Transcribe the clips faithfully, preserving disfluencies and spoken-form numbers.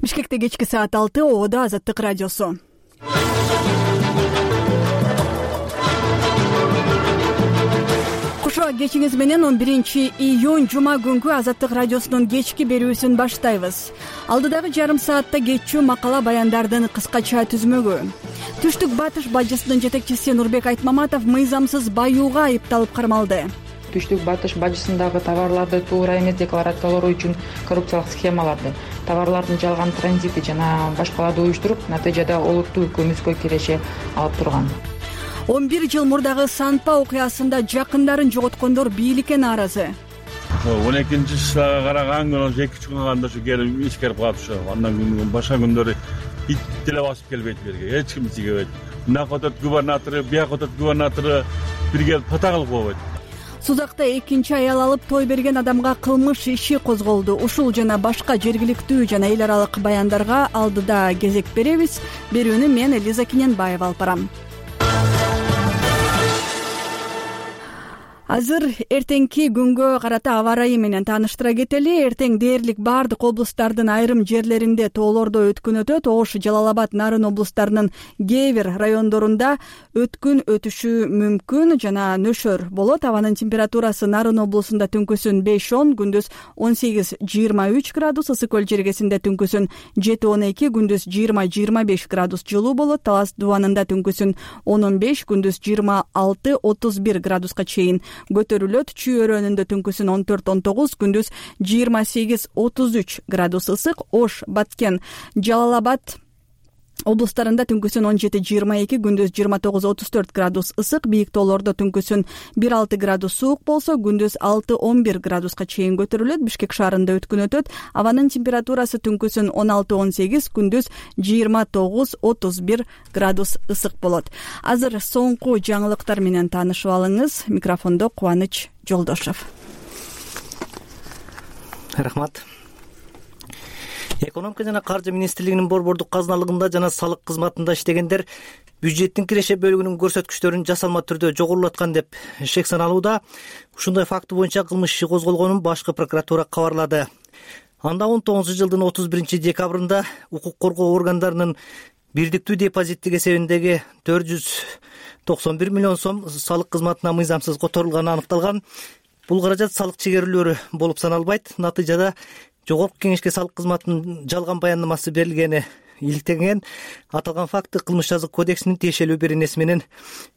Бишкекте кечки саат алты, Ободо Азаттык радиосу. Кошо кечиңиз менен он биринчи июнь жума күнгү Азаттык радиосунун кечки берүүсүн баштайбыз. Алдыдагы жарым саатта кечүү макала баяндардын кыскача түзмөгү. Түштүк батыш бажысынын жетекчиси Нурбек Айтмаматов мыйзамсыз баюуга айыпталып кармалды. Түштүк батыш бажысындагы товарларды туура эмес декларациялоо үчүн коррупциялык схемаларды, товарлардын жалган транзити жана башкаларды уюштуруп, натыйжада олуттуу көмүскө киреше алып турган. он бир жыл мурдагы Санпа окуясында жакындарын жоготкондор бийликке нааразы. он экинчи жылга караган күнү эки үч күн калганда ушу келип искерип калат ушу. Андан кийин башка күндөрү ит деле басып келбейт берге. Эч ким тийбейт. Мынакы өтөт губернатору, бияка өтөт губернатору бир келип пата кылып койбойт. Сузакта экинчи аял алып той берген адамга кылмыш иши козголду. Ушул жана башка жергиликтүү жана эл аралык баяндарга алдыда кезек беребиз. Берүүнү мен Элиза Кененбаева алып барам. Азыр эртеңки күнгө карата аба ырайы менен тааныштыра кетели. Эртең дээрлик бардык облустардын айрым жерлеринде тоолордо өткүн өтөт. Ош, Жалал Абад, Нарын облустарынын кээ бир райондорунда өткүн өтүшү мүмкүн жана нөшөр болот. Абанын температурасы Нарын облусунда түнкүсүн беш он, күндүз он сегиз жыйырма үч градус, Ысык көл жергесинде түнкүсүн жети он эки, күндүз жыйырма жыйырма беш градус жылуу болот. Талас дубанында түнкүсүн он он беш, күндүз жыйырма алты отуз бир градуска чейин көтөрүлөт. Чүй өрөөнүндө түнкүсүн он төрт он тогуз, күндүз жыйырма сегиз отуз үч градус ысык. Ош, Баткен, Жалал Абад облустарында түнкүсүн он жети жыйырма эки, күндүз жыйырма тогуз отуз төрт градус ысык. Бийик тоолордо түнкүсүн бир алты градус суук болсо, күндүз алты он бир градуска чейин көтөрүлөт. Бишкек шаарында өткүн өтөт. Абанын температурасы түнкүсүн он алты он сегиз, күндүз жыйырма тогуз отуз бир градус ысык болот. Азыр соңку жаңылыктар менен таанышып алыңыз. Микрофондо Кубаныч Жолдошов. Рахмат. Экономика жана каржы министрлигинин борбордук казыналыгында жана салык кызматында иштегендер бюджеттин киреше бөлүгүнүн көрсөткүчтөрүн жасалма түрдө жогорулаткан деп шек саналууда. Ушундай факты боюнча кылмыш иши козголгонун башкы прокуратура кабарлады. Анда он тогузунчу жылдын отуз биринчи декабрында укук коргоо органдарынын бирдиктүү депозиттик эсебиндеги төрт жүз токсон бир миллион сом салык кызматына мыйзамсыз которулганы аныкталган. Бул каражат салык чегерүүлөрү болуп саналбайт. Натыйжада Жогорку кеңешке салык кызматынын жалган баяндамасы берилгени иликтенген. Аталган факты кылмыш жазык кодексинин тиешелүү беренеси менен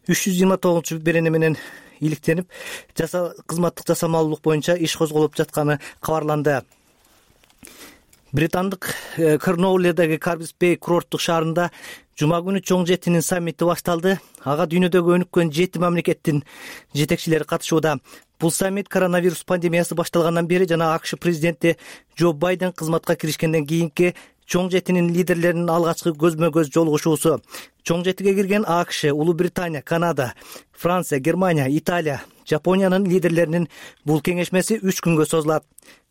үч жүз жыйырма тогузунчу берене менен иликтенип, жаса кызматтык жасамалуулук боюнча иш козголуп жатканы кабарланды. Британдык Корнуолледеги Карбис Бей курорттук шаарында жума күнү чоң жетинин саммити башталды. Ага дүйнөдөгү өнүккөн жети мамлекеттин жетекчилери катышууда. Бул саммит коронавирус пандемиясы башталгандан бери жана АКШ президенти Джо Байден кызматка киришкенден кийинки чоң жетинин лидерлеринин алгачкы көзмө-көз жолугушуусу. Чоң жетиге кирген АКШ, Улуу Британия, Канада, Франция, Германия, Италия, Жапониянын лидерлеринин бул кеңешмеси үч күнгө созулат.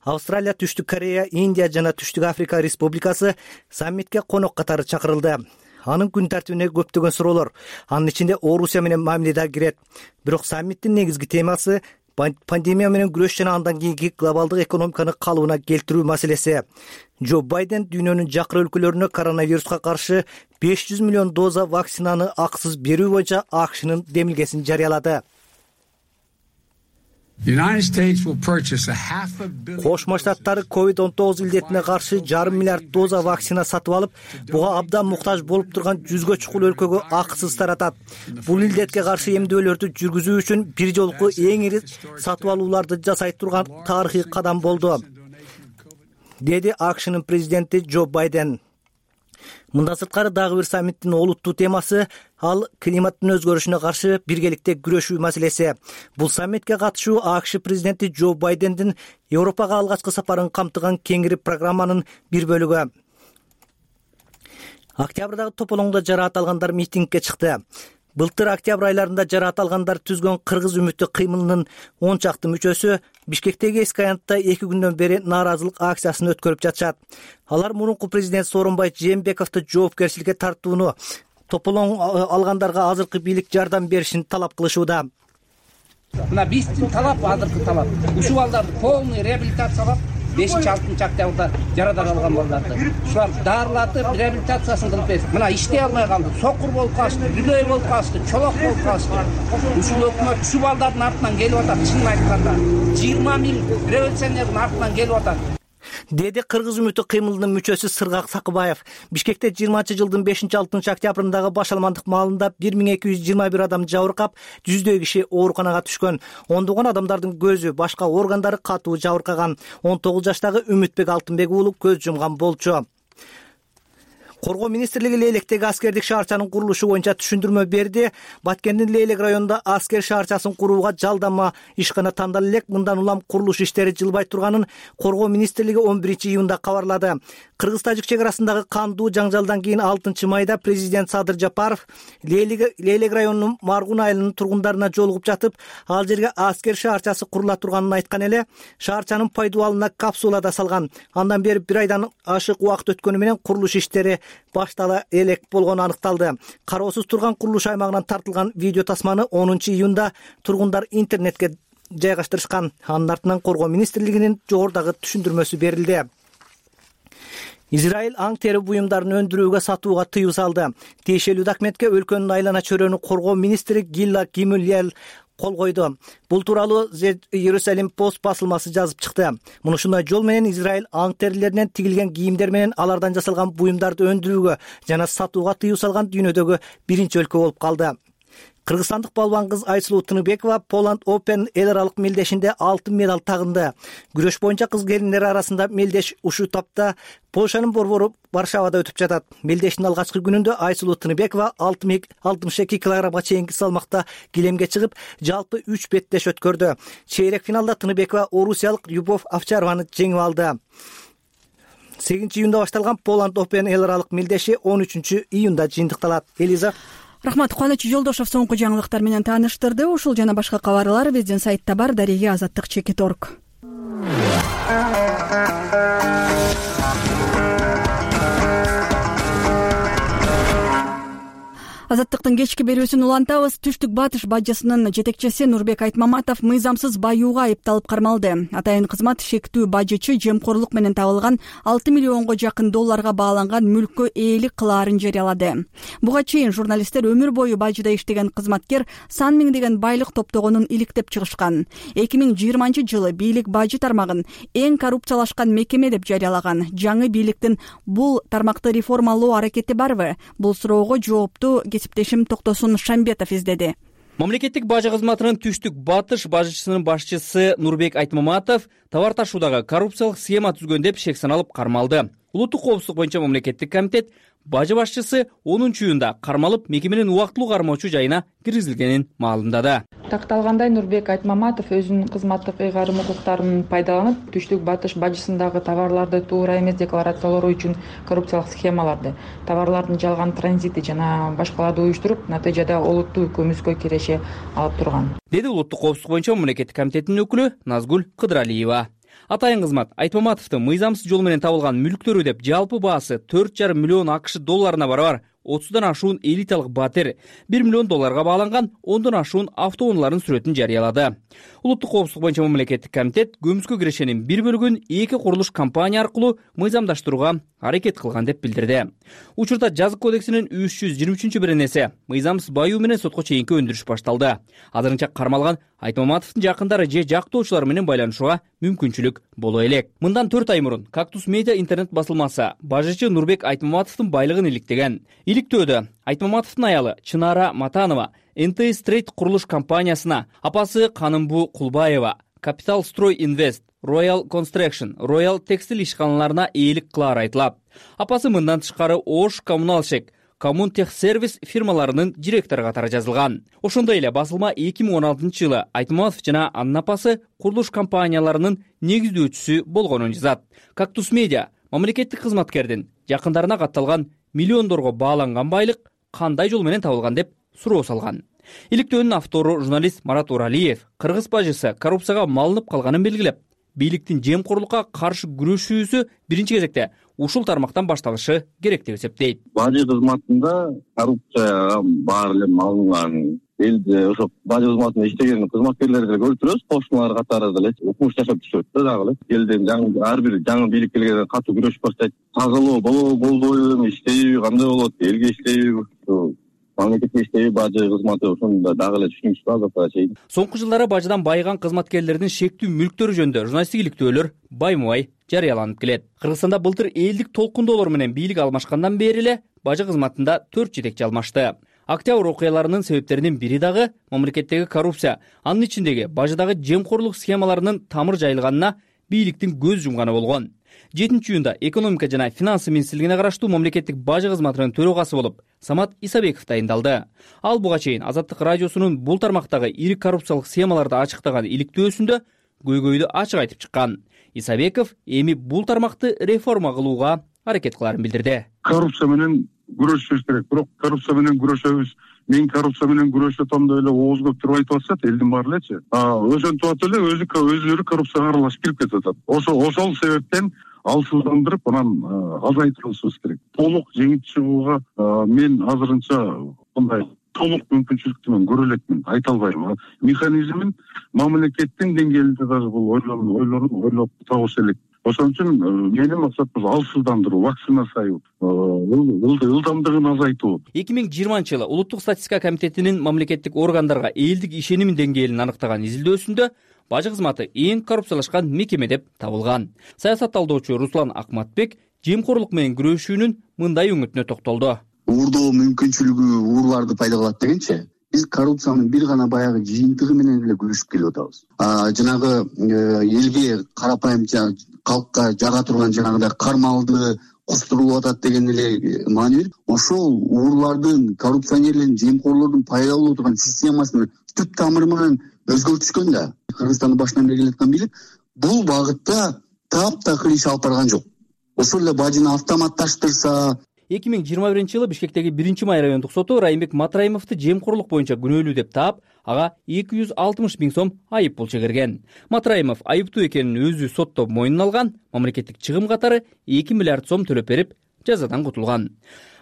Австралия, Түштүк Корея, Индия жана Түштүк Африка Республикасы саммитке конок катары чакырылды. Анын күн тартибине көптөгөн суроолор, анын ичинде Орусия менен мамиле да кирет. Бирок саммиттин негизги темасы пандемия менен күрөш жана андан кийинки глобалдык экономиканы калыбына келтирүү маселеси. Джо Байден дүйнөнүн жакыр өлкөлөрүнө коронавируска каршы беш жүз миллион доза вакцинаны акысыз берүү боюнча АКШнын демилгесин жарыялады. Кошмо Штаттары ковид он тогуз илдетине каршы жарым миллиард доза вакцина сатып алып, буга абдан муктаж болуп турган жүзгө чукул өлкөгө акысыз таратат. Бул илдетке каршы эмдөөлөрдү жүргүзүү үчүн бир жолку эң ири сатып алууларды жасай турган тарыхый кадам болду, деди АКШнын президенти Джо Байден. Мындан сырткары дагы бир саммиттин олуттуу темасы ал климаттын өзгөрүшүнө каршы биргеликте күрөшүү маселеси. Бул саммитке катышуу АКШ президенти Джо Байдендин Европага алгачкы сапарын камтыган кеңири программанын бир бөлүгү. Октябрдагы тополоңдо жараат алгандар митингге чыкты. Былтыр октябрь айларында жараат алгандар түзгөн Кыргыз үмүттүү кыймылынын он чакты мүчөсү Бишкектеги эски аянтта эки күндөн бери нааразылык акциясын өткөрүп жатышат. Алар мурунку президент Сооронбай Жээнбековду жоопкерчиликке тартууну, тополоң алгандарга азыркы бийлик жардам беришин талап кылышууда. Мына биздин талап азыркы талап ушул балдарды полный реабилитациялап, бешинчи алтынчы октябрда жарадан алган балдарды ушулар дарылатып реабилитациясын кылып берсин. Мына иштей алмай калды, сокур болуп калышты, бүдөй болуп калышты, чолок болуп калышты. Ушул өкмөт ушул балдардын артынан келип атат. Чынын айтканда жыйырма миң революционердин артынан келип атат, деди Кыргыз үмүтү кыймылынын мүчөсү Сыргак Сакыбаев. Бишкекте жыйырманчы жылдын бешинчи алтынчы октябрындагы башаламандык маалында бир миң эки жүз жыйырма бир адам жабыркап, жүздөй киши ооруканага түшкөн. Ондогон адамдардын көзү, башка органдары катуу жабыркаган. он тогуз жаштагы Үмүтбек Алтынбек уулу көз жумган болчу. Коргоо министрлиги Лейлектеги аскердик шаарчанын курулушу боюнча түшүндүрмө берди. Баткендин Лейлек районунда аскер шаарчасын курууга жалдама ишкана тандала элек. Мындан улам курулуш иштери жылбай турганын Коргоо министрлиги он биринчи июнда кабарлады. Кыргыз-тажик чек арасындагы кандуу жаңжалдан кийин алтынчы майда президент Садыр Жапаров Лейлек районунун Маргун айылынын тургундарына жолугуп жатып, ал жерге аскер шаарчасы курула турганын айткан эле. Шаарчанын пайдубалына капсулада салган. Андан бери бир айдан ашык убакыт өткөнү менен курулуш иштери баштала элек болгону аныкталды. Кароосуз турган курулуш аймагынан тартылган видео тасманы онунчу июнда тургундар интернетке жайгаштырышкан. Анын артынан Коргоо министрлигинин жогорудагы түшүндүрмөсү берилди. Израиль аң тери буюмдарын өндүрүүгө сатууга тыюу салды. Тиешелүү документке өлкөнүн айлана чөйрөнү Коргоо министри Гилла Кимильел кол койду. Бул тууралуу Иерусалим Пост басылмасы жазып чыкты. Муну ушундай жол менен Израиль аң терилеринен тигилген кийимдер менен алардан жасалган буюмдарды өндүрүүгө жана сатууга тыюу салган дүйнөдөгү биринчи өлкө болуп калды. Кыргызстандык балбан кыз Айсулуу Тыныбекова Poland Open эл аралык мелдешинде алтын медаль тагынды. Күрөш боюнча кыз келиндер арасында мелдеш ушул тапта Польшанын борбору Варшавада өтүп жатат. Мелдештин алгачкы күнүндө Айсулуу Тыныбекова алтымыш эки килограммга чейинки салмакта килемге чыгып, жалпы үч беттеш өткөрдү. Чейрек финалда Тыныбекова орусиялык Любовь Овчарованы жеңип алды. сегизинчи июнда башталган Poland Open эл аралык мелдеши он үчүнчү июнда жыйынтыкталат. Элиза Рахмат. Кубаныч Жолдошов соңку жаңылыктар менен тааныштырды. Ушул жана башка кабарлар биздин сайтта бар. Дареге азаттык чекит точка орг. Азаттыктын кечки берүүсүн улантабыз. Түштүк батыш бажысынын жетекчиси Нурбек Айтмаматов мыйзамсыз баюуга айыпталып кармалды. Атайын кызмат шектүү бажычы жемкорлук менен табылган алты миллионго жакын долларга бааланган мүлккө ээлик кылаарын жарыялады. Буга чейин журналисттер өмүр бою бажыда иштеген кызматкер сан миңдеген байлык топтогонун иликтеп чыгышкан. эки миң жыйырманчы жылы бийлик бажы тармагын эң коррупциялашкан мекеме деп жарыялаган. Жаңы бийликтин бул тармакты реформалоо аракети барбы? Бул суроого жоопту кесиптешим Токтосун Шамбетов издеди. Мамлекеттик бажы кызматынын Түштүк батыш бажычысынын башчысы Нурбек Айтмаматов товар ташуудагы коррупциялык схема түзгөн деп шек саналып кармалды. Улуттук коопсуздук боюнча мамлекеттик комитет бажы башчысы онунчу июнда кармалып мекеменин убактылуу кармоочу жайына киргизилгенин маалымдады. Такталгандай Нурбек Айтмаматов өзүнүн кызматтык ыйгарым укуктарын пайдаланып, Түштүк батыш бажысындагы товарларды туура эмес декларациялоо үчүн коррупциялык схемаларды, товарлардын жалган транзити жана башкаларды уюштуруп, натыйжада олуттуу көмүскө киреше алып турган, деди улуттук коопсуздук боюнча мамлекеттик комитеттин өкүлү Назгүл Кыдыралиева. Атайын кызмат Айтмаматовдун мыйзамсыз жол менен табылган мүлктөрү деп жалпы баасы төрт жарым миллион АКШ долларына барабар отуздан ашуун элиталык батир, бир миллион долларга бааланган ондон ашуун автоунаалардын сүрөтүн жарыялады. Улуттук коопсуздук боюнча мамлекеттик комитет көмүскө кирешенин бир бөлүгүн эки курулуш компания аркылуу мыйзамдаштырууга аракет кылган деп билдирди. Учурда жазык кодексинин үч жүз жыйырма үчүнчү беренеси мыйзамсыз баюу менен сотко чейинки өндүрүш башталды. Азырынча кармалган Айтмаматовдун жакындары же жактоочулар менен байланышууга мүмкүнчүлүк боло элек. Мындан төрт ай мурун Кактус медиа интернет басылмасы бажычы Нурбек Айтмаматовдун байлыгын иликтеген. Иликтөөдө Айтмаматовдун аялы Чынара Матанова эн тэ Стрейт курулуш компаниясына, апасы Канымбу Кулбаева Capital Строй Инвест, Royal Construction, Royal Текстиль ишканаларына ээлик кылаары айтылат. Апасы мындан тышкары Ош Коммуналшек, Коммунтехсервис фирмаларынын директору катары жазылган. Ошондой эле басылма эки миң он алтынчы жылы Айтмаматов жана анын апасы курулуш компанияларынын негиздөөчүсү болгонун жазат. Кактус медиа мамлекеттик кызматкердин жакындарына катталган миллиондорго бааланган байлык кандай жол менен табылган деп суроо салган. Иликтөөнүн автору журналист Марат Уралиев кыргыз бажысы коррупцияга малынып калганын белгилеп, бийликтин жемкорлукка каршы күрөшүүсү биринчи кезекте ушул тармактан башталышы керек деп эсептейт. Бажы кызматында коррупцияга баары эле малынган элде ошо бажы кызматында иштеген кызматкерлерди деле көрүп турабыз, кошуналар катары деле укмуш жашап түшөт да дагы эле. Элден жаңы ар бир жаңы бийлик келгенде катуу күрөшүп баштайт. Тазалоо болобу, болбойбу, иштейби, кандай болот, элге иштейби, мамлекетке иштейби, бажы кызматы ошондо дагы эле түшүнүксүз азапка чейин. Соңку жылдары бажыдан байыган кызматкерлердин шектүү мүлктөрү жөнүндө журналисттик иликтөөлөр байма-бай жарыяланып келет. Кыргызстанда былтыр элдик толкундоолор менен бийлик алмашкандан бери эле бажы кызматында төрт жетекчи алмашты. Октябрь окуяларынын себептеринин бири дагы мамлекеттеги коррупция, анын ичиндеги бажыдагы жемкорлук схемаларынын тамыр жайылганына бийликтин көз жумганы болгон. жетинчи июнда экономика жана финансы министрлигине караштуу мамлекеттик бажы кызматынын төрагасы болуп Самат Исабеков дайындалды. Ал буга чейин Азаттык радиосунун бул тармактагы ири коррупциялык схемаларды ачыктаган иликтөөсүндө көйгөйдү ачык айтып чыккан. Исабеков эми бул тармакты реформа кылууга аракет кыларын билдирди. Коррупция менен күрөшүшүбүз керек, бирок коррупция менен күрөшөбүз. Мен коррупция менен күрөшүп атам деп эле ооз көп туруп айтып атышат, элдин баары элечи. Ошентип атып эле өзү өзүлөрү коррупцияга аралашып кирип кетип атат. Ошо ошол себептен алсыздандырып, анан азайтырышыбыз керек. Толук жеңип чыгууга мен азырынча мындай толук мүмкүнчүлүктү мен көрө элекмин, айта албайм. Механизмин мамлекеттин деңгээлинде дагы бул ойлонуп ойлоп табыш элек. Ошон үчүн менин максатым алсыздандыруу, вакцинация, ылдамдыгын азайтуу. эки миң жыйырманчы жылы Улуттук статистика комитетинин мамлекеттик органдарга элдик ишеним деңгээлин аныктаган изилдөөсүндө бажы кызматы эң коррупциялашкан мекеме деп табылган. Саясат талдоочу Руслан Акматбек жемкорлук менен күрөшүүнүн мындай үмүтүнө токтолду. Уурдоо мүмкүнчүлүгү уурларды пайда кылат дегенчи, биз коррупциянын бир гана баягы жыйынтыгы менен эле күрөшүп келип атабыз. Жанагы элге карапайым калкка жага турган жанагыдай кармалды кустурулуп атат деген эле маани берип, ошол уурлардын, коррупционерлердин, жемкорлордун пайда болуп турган системасын түп тамыры менен өзгөртүшкөн да. Кыргызстандын башынан бери келаткан бийлик бул багытта таптакыр иш алып барган жок. Ошол эле бажыны автоматташтырса. эки миң жыйырма биринчи жылы Бишкектеги биринчи май райондук соту Райымбек Матраимовду жемкорлук боюнча күнөөлүү деп таап, ага эки жүз алтымыш миң сом айып пул чегерген. Матраимов айыптуу экенин өзү сотто мойнуна алган, мамлекеттик чыгым катары эки миллиард сом төлөп берип, жазадан кутулган.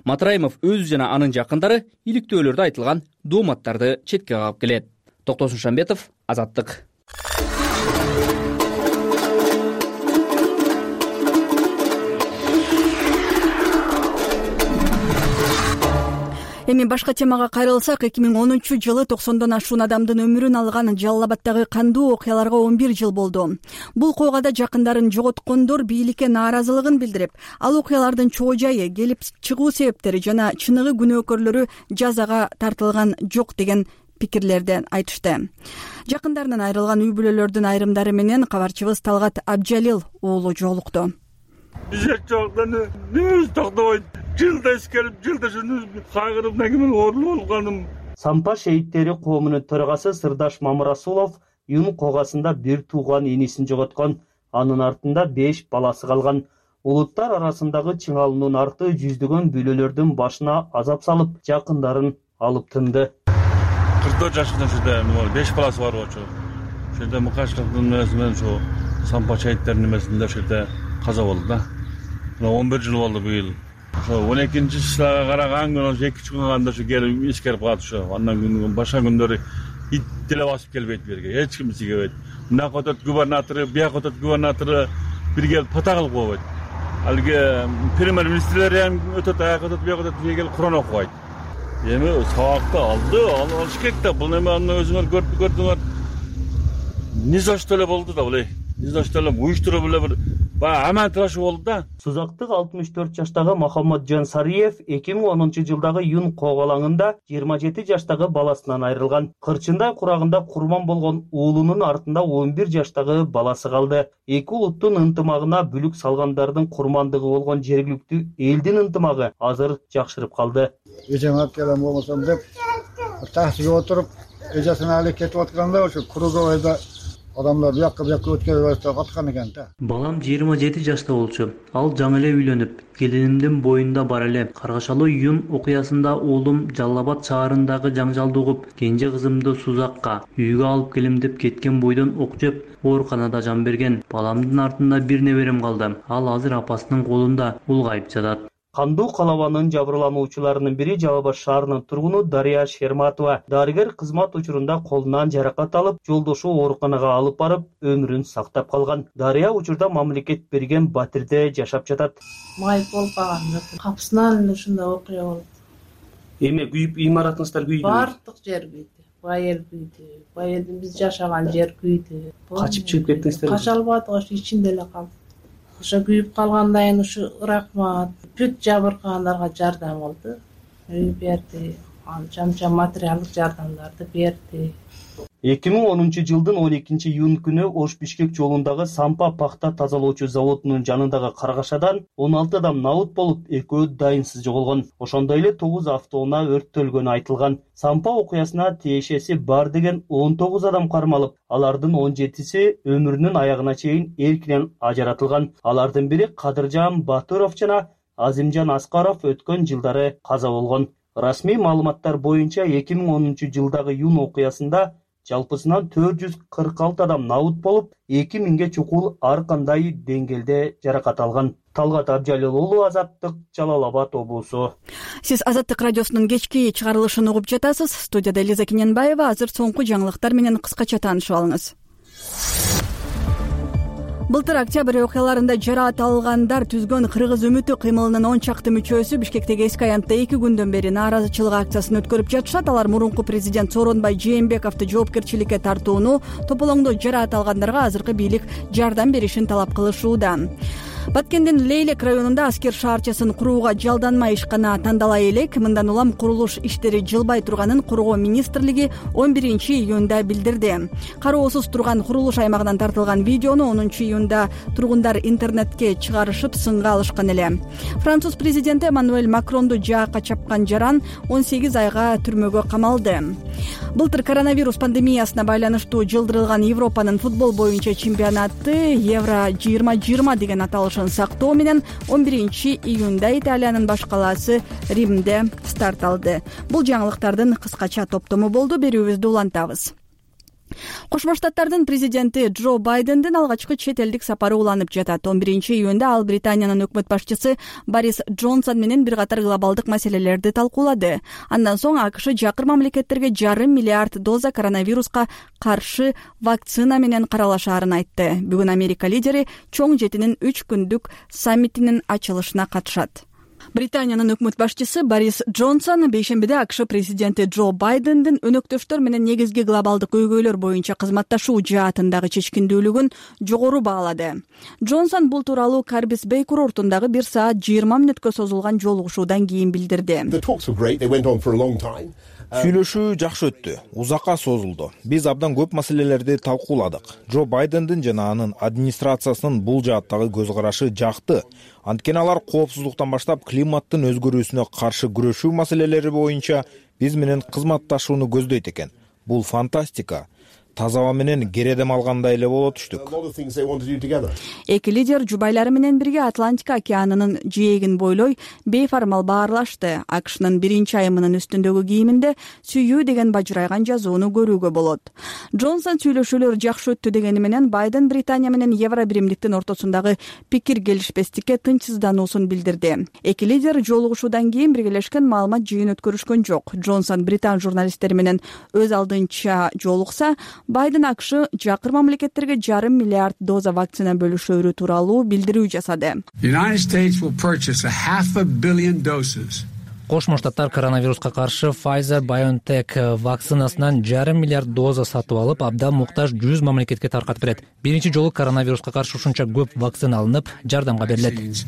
Матраимов өзү жана анын жакындары иликтөөлөрдө айтылган дооматтарды четке кагып келет. Токтосун Шамбетов, Азаттык. Эми башка темага кайрылсак, эки миң онунчу жылы токсондон ашуун адамдын өмүрүн алган Жалал Абаддагы кандуу окуяларга он бир жыл болду. Бул койгада жакындарын жоготкондор бийликке нааразылыгын билдирип, ал окуялардын чоо жайы, келип чыгуу себептери жана чыныгы күнөөкөрлөрү жазага тартылган жок деген пикирлерди айтышты. Жакындарынан айрылган үй бүлөлөрдүн айрымдары менен кабарчыбыз Талгат Абджалил уулу жолукту. Биз жокдан нөз токтобойт. Жылда искелип, жылда шуну кайгырып, негимен оорулуу болгоным. Сампа шейиттери коомунун төрагасы Сырдаш Мамырасулов Юн когасында бир тууган энесин жоготкон. Анын артында беш баласы калган. Улуттар арасындагы чыңалуунун арты жүздөгөн бүлөлөрдүн башына азап салып, жакындарын алып тынды. кырк төрт жашында ушерде беш баласы бар болчу. Ошерде мукаштыктын нерсинен ушу сампа шейиттердин немесинде ошерде каза болду да. он бир жыл болду быйыл. Ошо он экинчи числага караган күнү ошо эки күн калганда ошо келип искерип калат ошо. Андан күн башка күндөрү ит деле басып келбейт берге. Эч ким сигебейт. Мына котот губернатору, бияк котот губернатору бир келип пата кылып койбойт. Алги премьер-министрлер эми өтөт, аяк өтөт, бияк өтөт, бир келип Куран окубайт. Эми сабакты алды, алыш керек да. Бул эми аны өзүңөр көрүп көрдүңөр. Ни за что эле болду да булай. Ни за что эле уюштуруп эле бир баягы амантырашуу болду да. Сузактык алтымыш төрт жаштагы Махаммаджан Сариев эки миң онунчу жылдагы Юн когалаңында жыйырма жети жаштагы баласынан айрылган. Кырчындай курагында курман болгон уулунун артында он бир жаштагы баласы калды. Эки улуттун ынтымагына бүлүк салгандардын курмандыгы болгон жергиликтүү элдин ынтымагы азыр жакшырып калды. Эжеме алып келем болбосом деп таксиге отуруп, эжесин алып кетип атканда ошо круговойдо Адамдар бияка бияка өткөрүп берсе каткан экен да. Балам жыйырма жети жашта болчу. Ал жаңы эле үйлөнүп, келинимдин боюнда бар эле. Каргашалуу июнь окуясында уулум Жалал Абад шаарындагы жаңжалды угуп, кенже кызымды Сузакка үйгө алып келем деп кеткен бойдон ок жеп, ооруканада жан берген. Баламдын артында бир неберем калды. Ал азыр апасынын колунда улгайып жатат. Кандуу калабанын жабырлануучуларынын бири Жалал Абад шаарынын тургуну Дария Шерматова. Дарыгер кызмат учурунда колунан жаракат алып, жолдошу ооруканага алып барып, өмүрүн сактап калган. Дария учурда мамлекет берген батирде жашап жатат. Майып болуп калган жок. Капысынан ушундай окуя болду. Эме күйүп, имаратыңыздар күйдү. Бардык жер күйдү. Байел күйдү. Байелдин биз жашаган жер күйдү. Качып чыгып кеттиңиздер? Кача албадык, ошо ичинде эле калдык. Ошо күйүп калгандан кийин ушу рахмат бүт жабыркагандарга жардам кылды. Үй берди, анча-мынча материалдык жардамдарды берди. эки миң онунчу жылдын он экинчи июнь күнү Ош-Бишкек жолундагы Сампа пахта тазалоочу заводунун жанындагы каргашадан он алты адам набыт болуп, экөө дайынсыз жоголгон. Ошондой эле тогуз автоунаа өрттөлгөнү айтылган. Сампа окуясына тиешеси бар деген он тогуз адам кармалып, алардын он жетиси өмүрүнүн аягына чейин эркинен ажыратылган. Алардын бири Кадыржан Батыров жана Азимжан Аскаров өткөн жылдары каза болгон. Расмий маалыматтар боюнча эки миң онунчу жылдагы июнь окуясында жалпысынан төрт жүз кырк алты адам набыт болуп, эки миңге чукул ар кандай деңгээлде жаракат алган. Талгат Абжалил уулу, Азаттык, Жалал Абад облусу. Сиз Азаттык радиосунун кечки чыгарылышын угуп жатасыз. Студияда Элиза Кененбаева. Азыр соңку жаңылыктар менен кыскача таанышып алыңыз. Былтыр октябрь окуяларында жараат алгандар түзгөн Кыргыз үмүтү кыймылынын он чакты мүчөсү Бишкектеги эски аянтта эки күндөн бери нааразычылык акциясын өткөрүп жатышат. Алар мурунку президент Сооронбай Жээнбековду жоопкерчиликке тартууну, тополоңдо жараат алгандарга азыркы бийлик жардам беришин талап кылышууда. Баткендин Лейлек районунда аскер шаарчасын курууга жалданма ишкана тандала элек. Мындан улам курулуш иштери жылбай турганын Коргоо министрлиги он биринчи июнда билдирди. Кароосуз турган курулуш аймагынан тартылган видеону онунчу июнда тургундар интернетке чыгарышып сынга алышкан эле. Француз президенти Эммануэль Макронду жаакка чапкан жаран он сегиз айга түрмөгө камалды. Былтыр коронавирус пандемиясына байланыштуу жылдырылган Европанын футбол боюнча чемпионаты Евро жыйырма жыйырма деген аталышын сактоо менен он биринчи июнда Италиянын баш калаасы Римде старт алды. Бул жаңылыктардын кыскача топтому болду. Берүүбүздү улантабыз. Кошмо Штаттардын президенти Джо Байдендин алгачкы чет элдик сапары уланып жатат. он биринчи июнда ал Британиянын өкмөт башчысы Борис Джонсон менен бир катар глобалдык маселелерди талкуулады. Андан соң АКШ жакыр мамлекеттерге жарым миллиард доза коронавируска каршы вакцина менен каралашаарын айтты. Бүгүн Америка лидери чоң жетинин үч күндүк саммитинин ачылышына катышат. Британиянын өкмөт башчысы Борис Джонсон бейшембиде АКШ президенти Джо Байдендин өнөктөштөр менен негизги глобалдык көйгөйлөр боюнча кызматташуу жаатындагы чечкиндүүлүгүн жогору баалады. Джонсон бул тууралуу Карбис Бей курортундагы бир саат жыйырма мүнөткө созулган жолугушуудан кийин билдирди. Сүйлөшүү жакшы өттү, узакка созулду. Биз абдан көп маселелерди талкууладык. Джо Байдендин жана анын администрациясынын бул жааттагы көз карашы жакты. Анткени алар коопсуздуктан баштап климаттын өзгөрүүсүнө каршы күрөшүү маселелери боюнча биз менен кызматташууну көздөйт экен. Бул фантастика. Таза аба менен кередем алгандай эле боло түштүк. Эки лидер жубайлары менен бирге Атлантика океанынын жээгин бойлой бейформал баарлашты. АКШнын биринчи айымынын үстүндөгү кийиминде сүйүү деген бажырайган жазууну көрүүгө болот. Джонсон сүйлөшүүлөр жакшы өттү дегени менен Байден Британия менен Евро биримдиктин ортосундагы пикир келишпестикке тынчсыздануусун билдирди. Эки лидер жолугушуудан кийин биргелешкен маалымат жыйын өткөрүшкөн жок. Джонсон британ журналисттери менен өз алдынча жолукса, Байден АКШ жакыр мамлекеттерге жарым миллиард доза вакцина бөлүшөөрү тууралуу билдирүү жасады. Кошмо Штаттар коронавируска каршы Pfizer-BioNTech вакцинасынан жарым миллиард доза сатып алып, абдан муктаж жүз мамлекетке таркатып берет. Биринчи жолу коронавируска каршы ушунча көп вакцина алынып, жардамга берилет.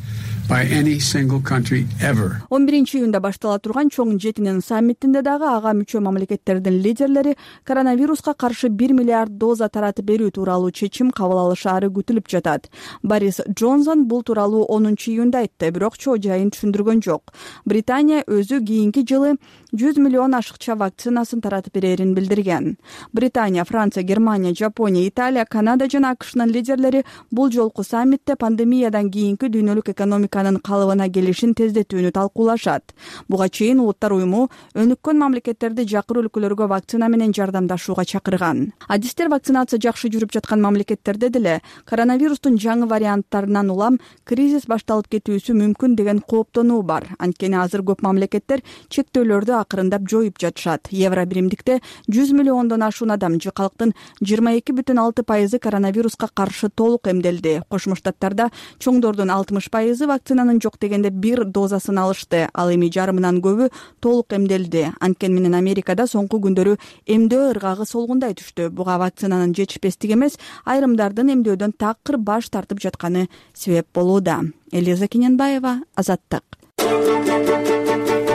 он биринчи июнда баштала турган чоң жетинин саммитинде дагы ага мүчө мамлекеттердин лидерлери коронавируска каршы бир миллиард доза таратып берүү тууралуу чечим кабыл алышаары күтүлүп жатат. Борис Джонсон бул тууралуу онунчу июнда айтты, бирок чоо жайын түшүндүргөн жок. Британия өзү кийинки жылы жүз миллион ашыкча вакцинасын таратып берерин билдирген. Британия, Франция, Германия, Жапония, Италия, Канада жана АКШнын лидерлери бул жолку саммитте пандемиядан кийинки дүйнөлүк экономиканын калыбына келишин тездетүүнү талкуулашат. Буга чейин Улуттар уюму өнүккөн мамлекеттерди жакыр өлкөлөргө вакцина менен жардамдашууга чакырган. Адистер вакцинация жакшы жүрүп жаткан мамлекеттерде деле коронавирустун жаңы варианттарынан улам кризис башталып кетүүсү мүмкүн деген кооптонуу бар. Анткени азыр көп мамлекеттер чектөөлөрдү акырындап жоюп жатышат. Евро биримдикте жүз миллиондон ашуун адам же калктын жыйырма эки бүтүн алты пайызы коронавируска каршы толук эмделди. Кошмо Штаттарда чоңдордун алтымыш пайызы вакцинанын жок дегенде бир дозасын алышты. Ал эми жарымынан көбү толук эмделди. Анткени менен Америкада соңку күндөрү эмдөө ыргагы солгундай түштү. Буга вакцинанын жетишпестиги эмес, айрымдардын эмдөөдөн такыр баш тартып жатканы себеп болууда. Элиза Кененбаева, Азаттык.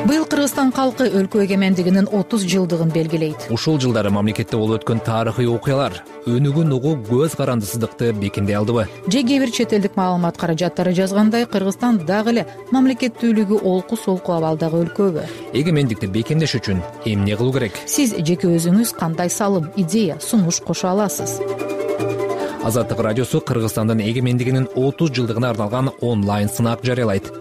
Быйыл Кыргызстан калкы өлкө эгемендигинин отуз жылдыгын белгилейт. Ушул жылдары мамлекетте болуп өткөн тарыхый окуялар өнүгүүн угуу көз карандысыздыкты бекемдей алдыбы? Же кээ бир чет элдик маалымат каражаттары жазгандай, Кыргызстан дагы эле мамлекеттүүлүгү олку солку абалдагы өлкөбү? Эгемендикти бекемдеш үчүн эмне кылуу керек? Сиз жеке өзүңүз кандай салым, идея, сунуш кошо аласыз? Азаттык радиосу Кыргызстандын эгемендигинин отуз жылдыгына арналган онлайн сынак жарыялайт.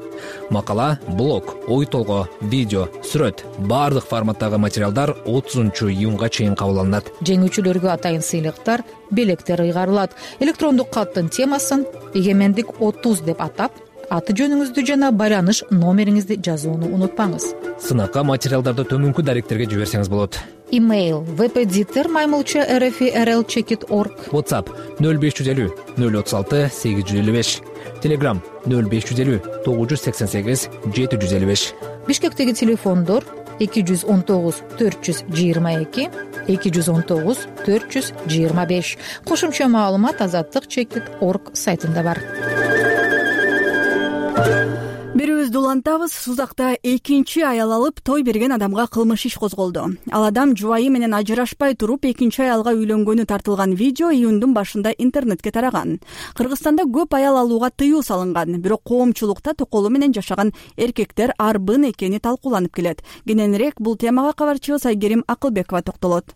Макала, блог, ой толгоо, видео, сүрөт, баардык форматтагы материалдар отузунчу июнга чейин кабыл алынат. Жеңүүчүлөргө атайын сыйлыктар, белектер ыйгарылат. Электрондук каттын темасын эгемендик отуз деп атап, аты жөнүңүздү жана байланыш номериңизди жазууну унутпаңыз. Сынакка материалдарды төмөнкү даректерге жиберсеңиз болот. Имейл впдитер маймылча rfrl чекит орг. WhatsApp нөл беш жүз элүү нөл отуз алты сегиз жүз элүү беш. Telegram нөл беш жүз элүү тогуз жүз сексен сегиз жети жүз элүү беш. Бишкектеги телефондор эки жүз он тогуз төрт жүз жыйырма эки эки жүз он тогуз төрт жүз жыйырма беш. Кошумча маалымат азаттык чекит орг сайтында бар. Берүүбүздү улантабыз. Сузакта экинчи аял алып той берген адамга кылмыш иш козголду. Ал адам жубайы менен ажырашпай туруп экинчи аялга үйлөнгөнү тартылган видео июндун башында интернетке тараган. Кыргызстанда көп аял алууга тыюу салынган, бирок коомчулукта токолу менен жашаган эркектер арбын экени талкууланып келет. Кененирээк бул темага кабарчыбыз Айгерим Акылбекова токтолот.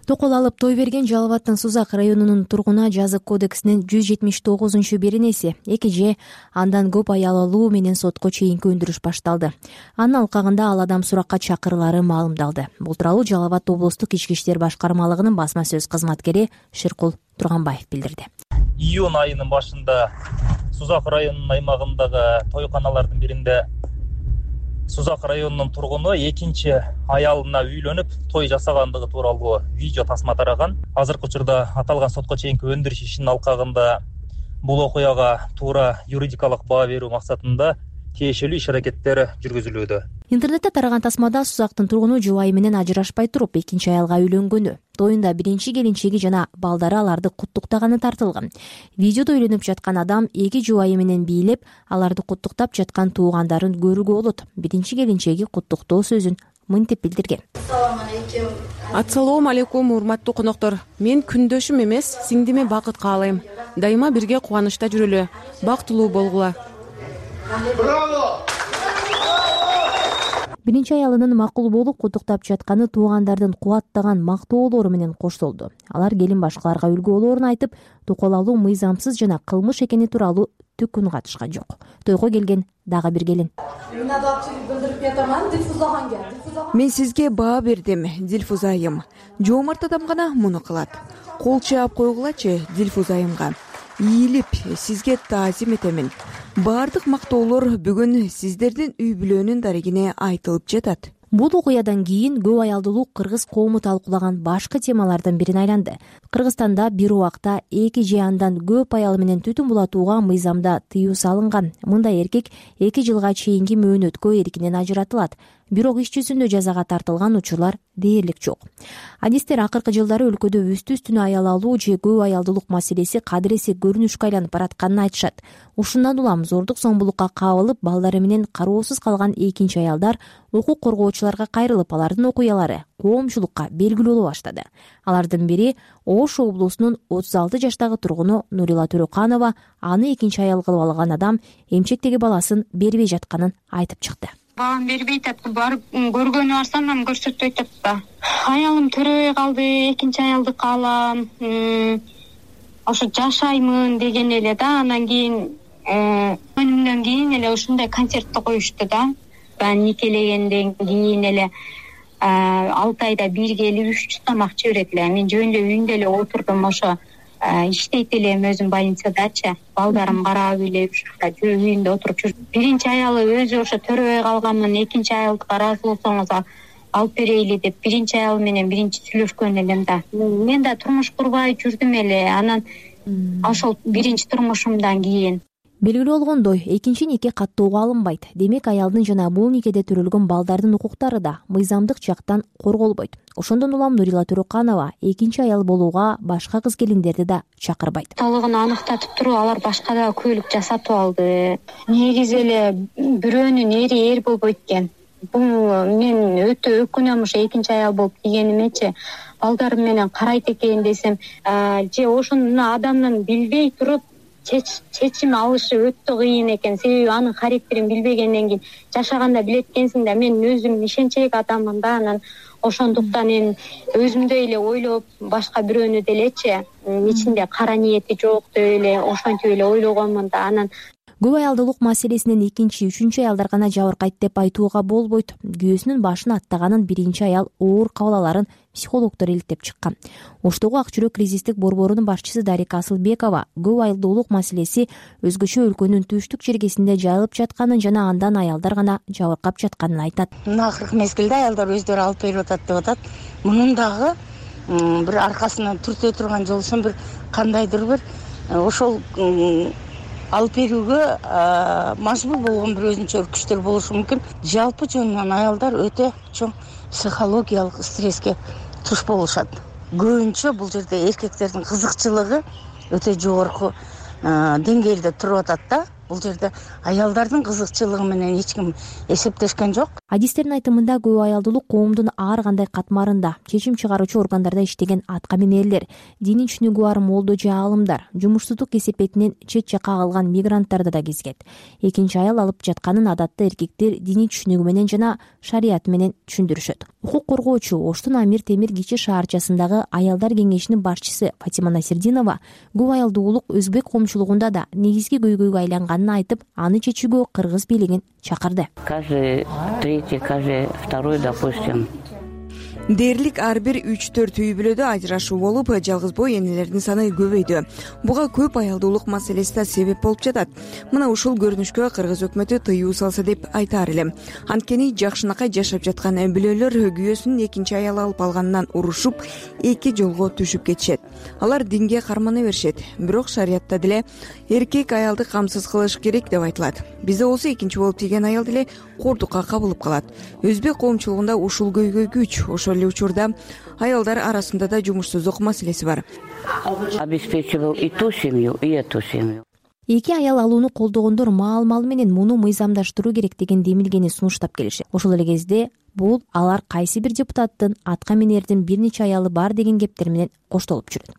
Токол алып той берген Жалал абадтын Сузак районунун тургуна жазык кодексинин жүз жетимиш тогузунчу беренеси эки же андан көп аял алуу менен сотко чейинки өндүрүш башталды. Анын алкагында ал адам суракка чакырылары маалымдалды. Бул тууралуу Жалал абад облустук ички иштер башкармалыгынын басма сөз кызматкери Шыркул Турганбаев билдирди. Июнь айынын башында Сузак районунун аймагындагы тойканалардын биринде Сузак районунун тургуну экинчи аялына үйлөнүп той жасагандыгы тууралуу видео тасма тараган. Азыркы учурда аталган сотко чейинки өндүрүш ишинин алкагында бул окуяга туура юридикалык баа берүү максатында тиешелүү иш-аракеттер жүргүзүлүүдө. Интернетте тараган тасмада Сузактын тургуну жубайы менен ажырашпай туруп экинчи аялга үйлөнгөнү, тоюнда биринчи келинчеги жана балдары аларды куттуктаганы тартылган. Видеодо үйлөнүп жаткан адам эки жубайы менен бийлеп, аларды куттуктап жаткан туугандарын көрүүгө болот. Биринчи келинчеги куттуктоо сөзүн мынтип билдирген. Ассалому алейкум, урматтуу коноктор. Мен күндөшүм эмес, сиңдиме бакыт каалайм. Дайыма бирге кубанычта жүрөлү, бактылуу болгула. Браво! Биринчи аялынын макул болуп куттуктап жатканы туугандардын кубаттаган мактоолору менен коштолду. Алар келин башкаларга үлгү болоорун айтып, токол алуу мыйзамсыз жана кылмыш экени тууралуу түк үн катышкан жок. Тойго келген дагы бир келин. Мен сизге баа бердим, Дилфуза айым. Жоомарт адам гана муну кылат. Кол чаап койгулачы Дилфуза айымга. Ийилип, сизге таазим этемин. Баардык мактоолор бүгүн сиздердин үй бүлөнүн дарегине айтылып жатат. Бул окуядан кийин көп аялдуулук кыргыз коому талкуулаган башкы темалардын бирине айланды. Кыргызстанда бир убакта эки же андан көп аял менен түтүн булатууга мыйзамда тыюу салынган. Мындай эркек эки жылга чейинки мөөнөткө эркинен ажыратылат. Бирок иш жүзүндө жазага тартылган учурлар дээрлик жок. Адистер акыркы жылдары өлкөдө үстү-үстүнө аял алуу же көп аялдуулук маселеси кадыресе көрүнүшкө айланып баратканын айтышат. Ушундан улам зордук зомбулукка кабылып, балдары менен кароосуз калган экинчи аялдар укук коргоочуларга кайрылып, алардын окуялары коомчулукка белгилүү боло баштады. Алардын бири Ош облусунун отуз алты жаштагы тургуну Нурила Төрөканова. Аны экинчи аял кылып алган адам эмчектеги баласын бербей жатканын айтып чыкты. баам бербей атат. Барып көргөнү барсам анан көрсөтпөй атат да. Аялым төрөбөй калды, экинчи аялдыкы алам. Ошо жашаймын деген эле да. Анан кийин өнүмдөн кийин эле ушундай концертти коюшту да. Ben никелегенден кийин эле алты айда бир келип үч жүз тамак жиберет эле. Мен жөн эле үйүндө эле отурдум, ошо иштейт элем өзүм больницадачы. Балдарым карап эле ушунда үйүндө отуруп жүрдүм. Биринчи аялы өзү ошо төрөбөй калганмын, экинчи аялдыкка ыраазы болсоңуз алып берейли деп биринчи аял менен биринчи сүйлөшкөн элем да. Мен да турмуш курбай жүрдүм эле. Анан ошол биринчи турмушумдан кийин белгилүү болгондой, экинчи нике каттоого алынбайт. Демек, аялдын жана бул никеде төрөлгөн балдардын укуктары да мыйзамдык жактан корголбойт. Ошондон улам Нурила Төрөканова экинчи аял болууга башка кыз келиндерди да чакырбайт. Толугун аныктатып туруп, алар башка да көйлүк жасатып алды. Негизи эле бирөөнүн эри эр болбойт экен. Бул мен өтө өкүнөм, ошо экинчи аял болуп кийгенимечи. Балдарым менен карайт экен десем, же ошону адамдын билбей туруп чечим алышы өтө кыйын экен. Себеби анын характерин билбегенден кийин жашаганда билет экенсиң да. Мен өзүм ишенчек адаммын да. Анан ошондуктан мен өзүмдөй эле ойлоп, башка бирөөнү делечи ичинде кара ниети жок деп эле ошентип эле ойлогонмун да. Анан көп аялдуулук маселесинен экинчи, үчүнчү аялдар гана жабыркайт деп айтууга болбойт. Күйөөсүнүн башын аттаганын биринчи аял оор кабыл аларын психологдор иликтеп чыккан. Оштогу Ак жүрөк кризистик борборунун башчысы Дарика Асылбекова көп аялдуулук маселеси өзгөчө өлкөнүн түштүк жергесинде жайылып жатканын жана андан аялдар гана жабыркап жатканын айтат. Мына акыркы мезгилде аялдар өздөрү алып берип атат деп атат. Мунун дагы бир аркасынан түртө турган жолусун бир кандайдыр бир ошол алып берүүгө мажбур болгон бир өзүнчө күчтөр болушу мүмкүн. Жалпы жөнүнөн аялдар өтө чоң психологиялык стресске туш болушат. Көбүнчө бул жерде эркектердин кызыкчылыгы өтө жогорку деңгээлде туруп атат да. Бул жерде аялдардын кызыкчылыгы менен эч ким эсептешкен жок. Адистердин айтымында көп аялдуулук коомдун ар кандай катмарында чечим чыгаруучу органдарда иштеген атка минерлер, диний түшүнүгү бар молдо же аалымдар, жумушсуздук кесепетинен чет жакка калган мигранттарды да кезгет. Экинчи аял алып жатканын адатта эркектер диний түшүнүгү менен жана шарият менен түшүндүрүшөт. Укук коргоочу Оштун Амир Темир кичи шаарчасындагы аялдар кеңешинин башчысы Фатима Насирдинова көп аялдуулук өзбек коомчулугунда да негизги көйгөйгө айланган айтып, аны чечүүгө кыргыз бийлигин чакырды. Каждый третий, каждый второй, допустим. Дээрлик ар бир үч төрт үй бүлөдө ажырашуу болуп, жалгыз бой энелердин саны көбөйдү. Буга көп аялдуулук маселеси да себеп болуп жатат. Мына ушул көрүнүшкө кыргыз өкмөтү тыюу салса деп айтаар элем. Анткени жакшынакай жашап жаткан бүлөлөр күйөөсүнүн экинчи аял алып алганынан урушуп, эки жолго түшүп кетишет. Алар динге кармана беришет. Бирок шариятта деле эркек аялды камсыз кылыш керек деп айтылат. Бизде болсо экинчи болуп тийген аял деле кордукка кабылып калат. Өзбек коомчулугунда ушул көйгөй күч. Ошол эле учурда аялдар арасында да жумушсуздук маселеси бар. Обеспечивал и ту семью, и эту семью. Эки аял алууну колдогондор маал-мал менен муну мыйзамдаштыруу керек деген демилгени сунуштап келишет. Ошол эле кезде бул алар кайсы бир депутаттын атка минердин бир нече аялы бар деген кептер менен коштолуп жүрөт.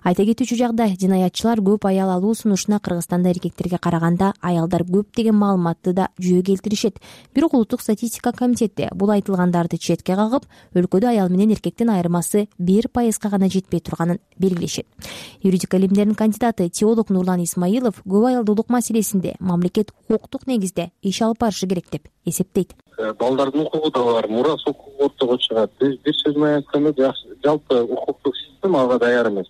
Айта кетүүчү жагдай, жинаятчылар көп аял алуу сунушуна Кыргызстанда эркектерге караганда аялдар көп деген маалыматты да жүйө келтиришет. Бирок улуттук статистика комитети бул айтылгандарды четке кагып, өлкөдө аял менен эркектин айырмасы бир пайызга гана жетпей турганын белгилешет. Юридика илимдеринин кандидаты теолог Нурлан Исмаилов көп аялдуулук маселесинде мамлекет укуктук негизде иш алып барышы керек деп эсептейт. Балдардын укугу да бар, мурас укугу ортого чыгат. Биз бир сөз менен айтканда жалпы укуктук система ага даяр эмес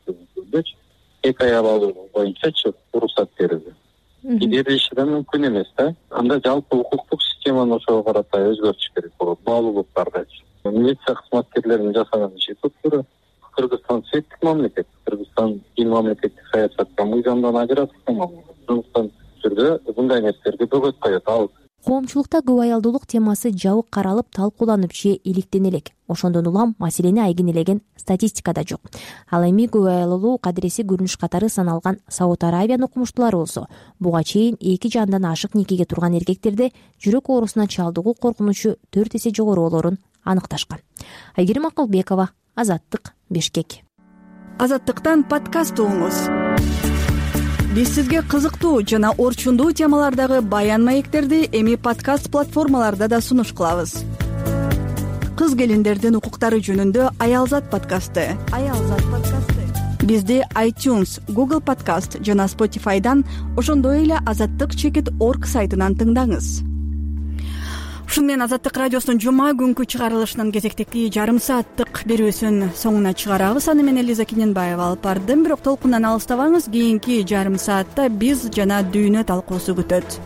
депчи. Эки аял алуу боюнчачы уруксат берилди. Берилиши да мүмкүн эмес да. Анда жалпы укуктук системаны ошого карата өзгөртүш керек болот. Баалуулуктардачы. Милиция кызматкерлеринин жасаган иши туура. Кыргызстан светтик мамлекет. Кыргызстан дин мамлекеттик саясатка мыйзамдан ажыратылган мамлекет. Ошондуктан түрдө мындай нерселерге бөгөт коет. Ал коомчулукта көп аялдуулук темасы жабык каралып, талкууланып же иликтене элек. Ошондон улам маселени айгинелеген статистикада жок. Ал эми көп аялдуулук адреси көрүнүш катары саналган Сауд Арабиянын окумуштуулары болсо, буга чейин эки жандан ашык никеге турган эркектерде жүрөк оорусуна чалдыгуу коркунучу төрт эсе жогору болоорун аныкташкан. Айгерим Акылбекова, Азаттык, Бишкек. Азаттыктан подкаст угуңуз. биз сизге кызыктуу жана орчундуу темалардагы баян маектерди эми подкаст платформаларда да сунуш кылабыз. Кыз келиндердин укуктары жөнүндө Аялзат подкасты. Аялзат подкасты. Бизди iTunes, Google Podcast жана Spotify'дан, ошондой эле азаттык чекит точка орг сайтынан тыңдаңыз. Ушуну менен Азаттык радиосунун жума күнкү чыгарылышынын кезектеги жарым сааттык берүүсүн соңуна чыгарабыз. Аны менен Лиза Кененбаева алып бардым. Бирок толкундан алыстабаңыз. Кийинки жарым саатта биз жана дүйнө талкуусу күтөт.